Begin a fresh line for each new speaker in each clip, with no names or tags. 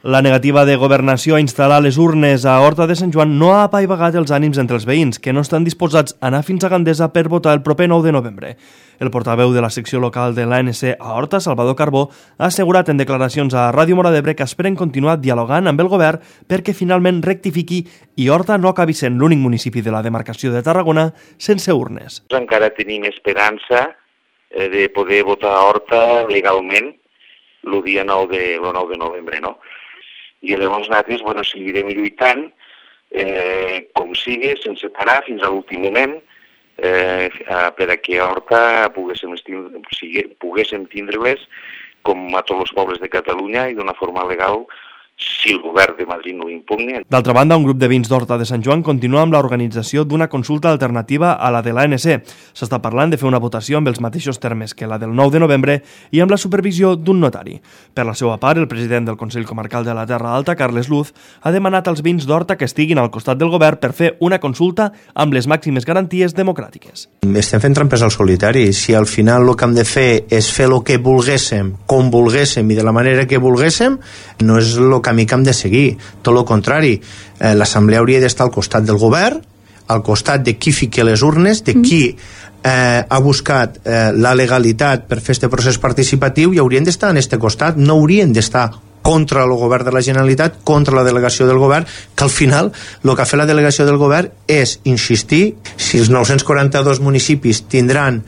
La negativa de Governació a instal·lar les urnes a Horta de Sant Joan no ha apaivagat els ànims entre els veïns, que no estan disposats a anar fins a Gandesa per votar el proper 9 de novembre. El portaveu de la secció local de l'ANC a Horta, Salvador Carbó, ha assegurat en declaracions a Ràdio Móra d'Ebre que esperen continuar dialogant amb el govern perquè finalment rectifiqui i Horta no acabi sent l'únic municipi de la demarcació de Tarragona sense urnes.
Encara tenim esperança de poder votar a Horta legalment el dia 9 de novembre, no? I llavors nosaltres seguirem lluitant com sigui, sense parar fins a l'últim moment per a que a Horta poguéssim tindre-les com a tots els pobles de Catalunya i d'una forma legal si el govern de Madrid no ho impugna.
D'altra banda, un grup de veïns d'Horta de Sant Joan continua amb l'organització d'una consulta alternativa a la de l'ANC. S'està parlant de fer una votació amb els mateixos termes que la del 9 de novembre i amb la supervisió d'un notari. Per la seva part, el president del Consell Comarcal de la Terra Alta, Carles Luz, ha demanat als veïns d'Horta que estiguin al costat del govern per fer una consulta amb les màximes garanties democràtiques.
Estem fent trampes al solitari. Si al final el que hem de fer és fer el que volguéssim, com volguéssim i de la manera que volguéssim, no és el camí que hem de seguir. Tot el contrari, l'Assemblea hauria d'estar al costat del govern, al costat de qui fiqui les urnes, de qui ha buscat la legalitat per fer aquest procés participatiu, i haurien d'estar en aquest costat, no haurien d'estar contra el govern de la Generalitat, contra la delegació del govern, que al final el que ha fet la delegació del govern és insistir si els 942 municipis tindran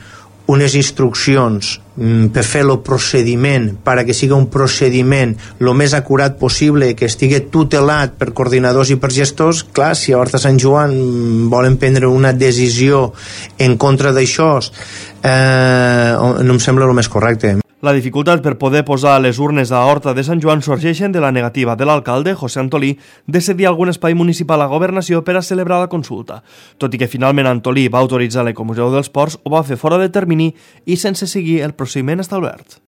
unes instruccions per fer el procediment perquè sigui un procediment el més acurat possible, que estigui tutelat per coordinadors i per gestors. Clar, si a Horta Sant Joan volen prendre una decisió en contra d'això, no em sembla el més correcte.
La dificultat per poder posar les urnes a Horta de Sant Joan sorgeixen de la negativa de l'alcalde, José Antolí, de cedir algun espai municipal a Governació per a celebrar la consulta. Tot i que finalment Antolí va autoritzar l'Ecomuseu dels Ports, ho va fer fora de termini i sense seguir el procediment establert.